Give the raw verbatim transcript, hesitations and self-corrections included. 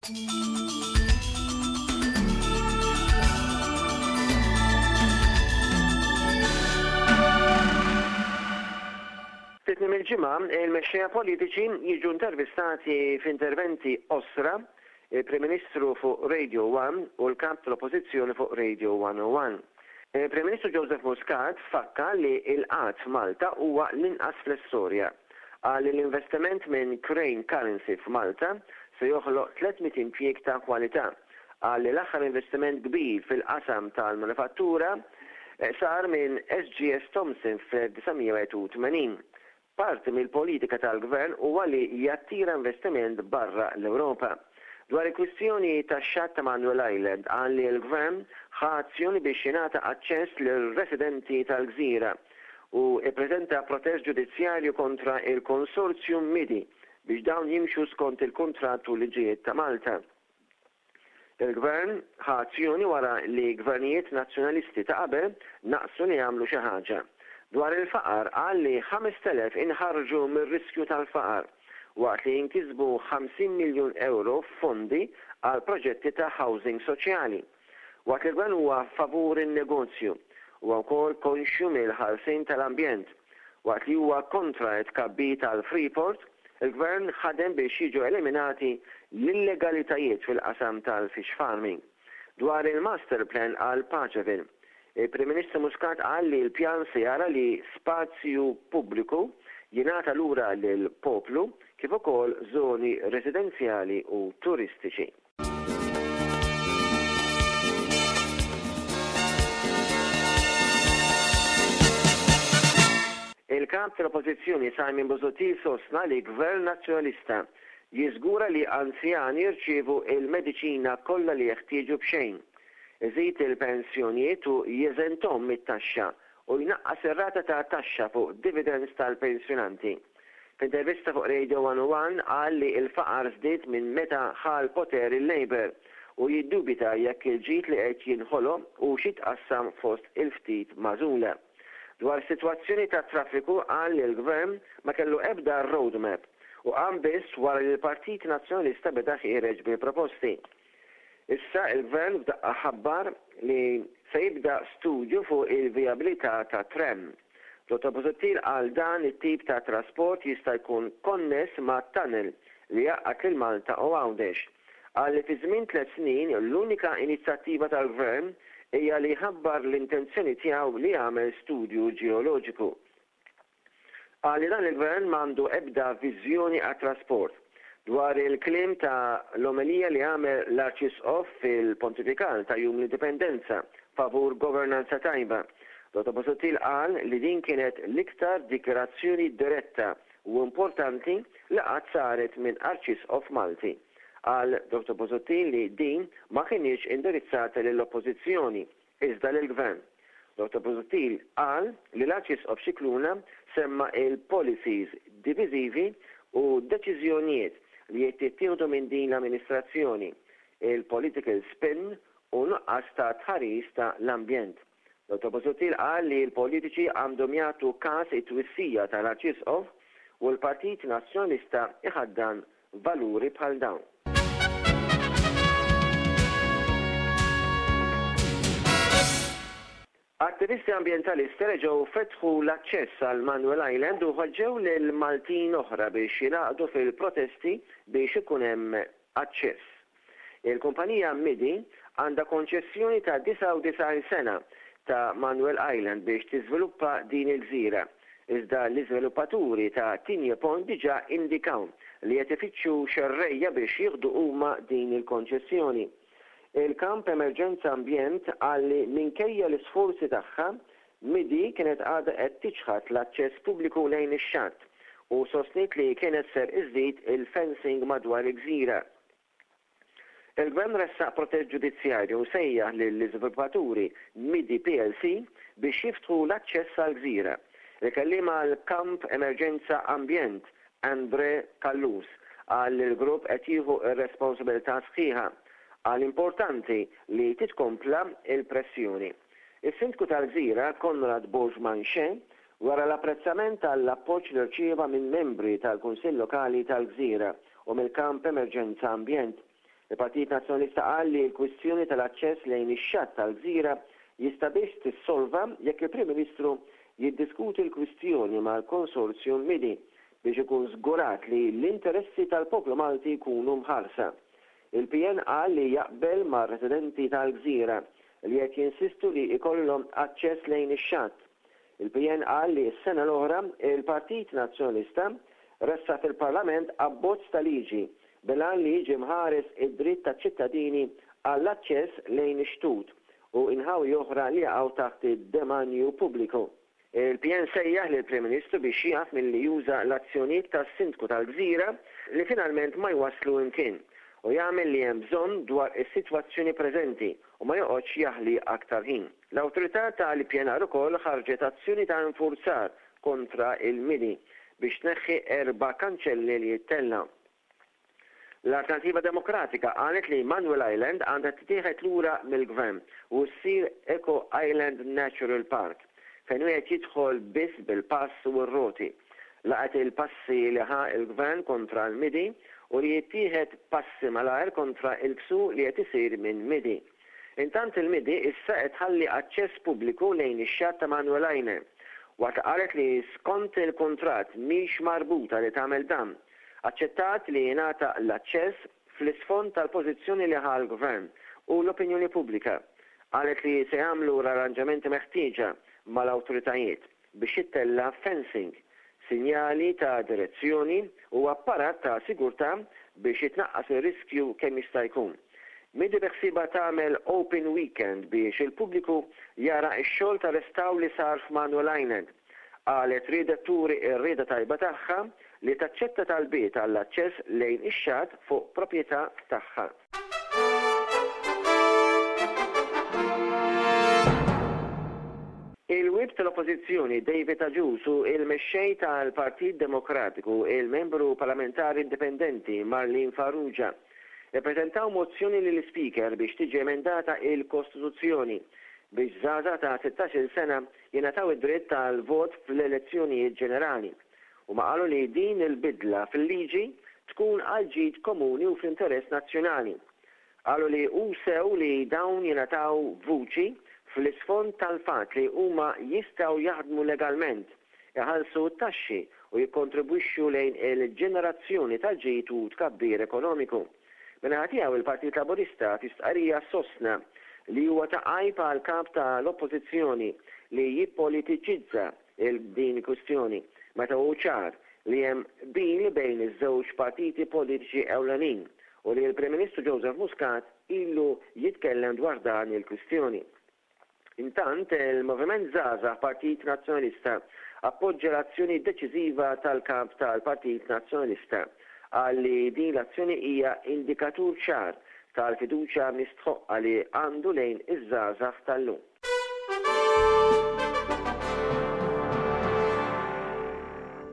Fi tmiem il-ġimgħa, il-mexxejja politiċi jiġu intervistati f'interventi qosra, il-Prim Ministru fuq Radio one u l-Kap tal-Oppożizzjoni fuq Radio one oh one. Il-Prim Ministru Joseph Muscat fakkar li l-qgħad f'Malta huwa l-inqas fl-istorja. Qal li l-investiment minn Crane Currency f'Malta se joħloq tliet mitt impjieg ta' kwalità. Qal li l-aħħar investiment kbir fil-qasam tal-manifattura sar minn S G S Thomson fl-elf disa' mija u wieħed u tmenin. Parti mill-politika tal-gvern huwa li jattira investiment barra l-Ewropa. Dwar il-kwistjoni tax-xatt ta' Manuel Island, qal li l-gvern ħa azzjoni biex jingħata aċċess lir-residenti tal-gżira u ippreżenta protest ġudizzjarju kontra il-konsorzju MIDI biex dawn jimxu skont il-kuntratt u liġijiet ta' Malta. Il-gvern ħa azzjoni wara li gvernijiet nazzjonalisti ta' qabel naqsu li jagħmlu xi ħaġa. Dwar il-faqar, qal li ħamest elef inħarġu mir-riskju tal-faqar waqt li jinkisbu ħamsin miljun euro fondi għal proġetti ta' housing soċjali. Waqt li l-gvern huwa favur in-negozju, huwa wkoll konxju mill-ħarsien tal-ambjent. Waqt li huwa kontra t-tkabbir tal-Freeport, il-gvern ħadem biex jiġu eliminati l-illegalitajiet fil-qasam tal-fish farming. Dwar il-master plan għal Paceville, il-Prim Ministru Muscat qal li l-pjan se jara li spazju pubbliku jingħata lura lil poplu kif ukoll żoni residenzjali u turistiċi. Il-kap tal-Oppożizzjoni Simon Busuttil sostna li Gvern Nazzjonalista jiżgura li anzjani jirċievu il-mediċina kollha li jeħtieġu b'xejn, iżid il-pensjonijiet u jeżentom mit-taxxa u jnaqqas ir-rata ta' taxxa fuq dividends tal-pensjonanti. F'intervista fuq Radio one oh one qal li l-faqar żdied minn meta ħa l-poter il-Labour u jiddubita jekk il-ġid li qed jinħoloq hux jitqassam fost il-ftit magħżula. Dwar sitwazzjoni ta' traffiku, qal li l-gvern ma kellu ebda roadmap u qam biss wara li l-Partit Nazzjonalista beda ħiereġ bil-proposti. Issa il-gvern f'daqqa ħabbar li se jibda studju fuq il-viabilità ta' tram. Dottor Busuttil qal dan it-tip ta' trasport jista' jkun konness ma' tunnel li jgħaqqad lil Malta u Għawdex. Qal li fi żmien tliet snin l-unika inizjattiva tal-gvern hija li jħabbar l-intenzjoni tiegħu li jagħmel studju ġeoloġiku. Qal li dan il-gvern m'għandu ebda viżjoni għat-trasport. Dwar il-kliem ta' l-omelija li għamel l-Arċisqof fil-Pontifikal ta' Jum l-Indipendenza favur governanza tajba, Dottor Busuttil qal li din kienet l-iktar dikjarazzjoni diretta u importanti li qatt saret minn Arċisqof Malti. Qal Dottor Busuttil li din ma kienx indirizzata lill-Oppożizzjoni iżda lill-Gvern. Dottor Busuttil qal li l-Arċisqof Scicluna semma il-policies diviżivi u deċiżjonijiet li jittieħdu minn din l-amministrazzjoni, il-political spin u nuqqas ta' tħaris ta' l-ambjent. Dottor Busuttil qal li l-politiċi għandhom jagħtu kas it-twissija tal-Arċisqof u l-Partit Nazzjonalista iħaddan valuri bħal dawn. Attivisti ambientalisti reġgħu fetħu l-aċċess għal Manuel Island u ħeġġew lil Maltin oħra biex jingħaqdu fil-protesti biex ikun hemm aċċess. Il-kumpanija MIDI għandha konċessjoni ta' disgħa u disgħin sena ta' Manuel Island biex tiżviluppa din il-gżira. Iżda l-iżviluppaturi ta' Tigné Point diġà indikaw li qed ifittxu xerrejja biex jieħdu huma din il-konċessjoni. Il-kamp Emerġenza Ambjent qal li minkejja l-isforzi tagħha, MIDI kienet għadha qed tiċħad l-aċċess pubbliku lejn ix-xatt u sostniet li kienet ser iżid il-fencing madwar il-gżira. Il-Gvern ressaq protest ġudizzjarju u sejjaħ lill-iżviluppaturi MIDI P L C biex jiftħu l-aċċess għall-gżira. Il-kelliem għal Kamp Emerġenza Ambjent, Andre Callus, qal li l-grupp qed jieħu r-responsabilità sħiħa. Qal importanti li titkompla il-pressjoni. Is-sindku tal-gżira, Conrad Borg Manché, wera l-apprezzament tal-appoġġ li rċieva minn membri tal-Kunsill Lokali tal-Gżira u mill-Kamp Emerġenza Ambjent. Il-Partit Nazzjonalista qal li l-kwistjoni tal-aċċess lejn ix-xatt tal-Gżira jista' biss tissolva jekk il-Prim Ministru jiddiskuti l-kwistjoni mal-Konsorzjum MIDI biex ikun żgurat li l-interessi tal-poplu Malti jkunu mħarsa. Il-P N qal li jaqbel mar-residenti tal-Gżira li qed jinsistu li jkollhom aċċess lejn ix-xatt. Il-P N qal li s-sena l-oħra il-Partit Nazzjonalista ressaq fil-Parlament abbozz ta' liġi bil-għan li jiġi mħares id-dritt taċ-ċittadini għall-aċċess lejn ix-xtut u inħawi oħra li jaqgħu taħt id-demanju pubbliku. Il-P N sejjaħ lill prim Ministru biex jieqaf milli juża l-azzjonijiet tas-Sindku tal-Gżira li finalment ma jwaslu imkien u jagħmel li hemm bżonn dwar is-sitwazzjoni preżenti u ma joqgħodx jaħli aktar ħin. L-Awtorità tal-Ippjanar ukoll ħarġet azzjoni ta' infurzar kontra il-MIDI biex tneħħi erba' kanċelli li jittella'. L-Alternativa Demokratika qalet li Manuel Island għandha tittieħed lura mill-gvern u ssir Eco Island Natural Park fejn wieħed jidħol biss bil-pass u r-roti. Laqgħet il-passi li ħa il-gvern kontra l-MIDI u li jittieħed passi malajr kontra il-ksur li qed isir minn MIDI. Intant, il-MIDI issa qed tħalli aċċess pubbliku lejn ix-xatt ta' Manuel Island. Waqt qalet li skont il-kontrat mhix marbuta li tagħmel dan. Aċċettat li jingħata l-aċċess fl-isfond tal-pożizzjoni li ħa l-gvern u l-opinjoni pubblika. Qalet li se jagħmlu l-arranġamenti meħtieġa mal-awtoritajiet biex jittella fencing, sinjali ta' direzzjoni u apparat ta' sigurtà biex jitnaqqas ir-riskju kemm jista' jkun. MIDI beħsiebha tagħmel Open Weekend biex il-pubbliku jara x-xogħol ta' restawr li sar f'Manuel Island. Qalet riedet turi r-rieda tajba tagħha li taċċetta talbiet għall-aċċess lejn ix-xatt fuq proprjetà tagħha. Il-Whip tal-Oppożizzjoni David Agius u il-mexxej tal-Partit Demokratiku, il-membru parlamentari indipendenti Marlene Farrugia, ippreżentaw mozzjoni lill speaker biex tiġi emendata il-Kostituzzjoni biex żgħażagħ ta' sittax-il sena jingħataw id-dritt tal-vot fl-elezzjonijiet ġenerali. U ma qalu li din il-bidla fil-liġi tkun għal ġid komuni u fl-interess nazzjonali. Qalu li hu sew li dawn jingħataw vuċi fl-isfond tal-fatt li huma jistgħu jaħdmu legalment, iħallsu taxxi u jikkontribwixxu lejn il-ġenerazzjoni tal-ġid u tkabbir ekonomiku. Min-naħa tiegħu, il-Partit Laburista fi stqarrija sostna li huwa ta' għajb għal kap tal-Oppożizzjoni li jippolitiċizza il-din kwistjoni meta hu ċar li hemm qbil bejn iż-żewġ partiti politiċi ewlenin u li l-Prim Ministru Joseph Muscat ilu jitkellem dwar dan il-kwistjoni. Intant, il-Moviment Żgħażagħ Partit Nazzjonalista appoġġa l-azzjoni deċiżiva tal-kap tal-Partit Nazzjonalista. Qal li din l-azzjoni hija indikatur ċar tal-fiduċja mistħoqqa li għandu lejn iż-żgħażagħ tal-lum.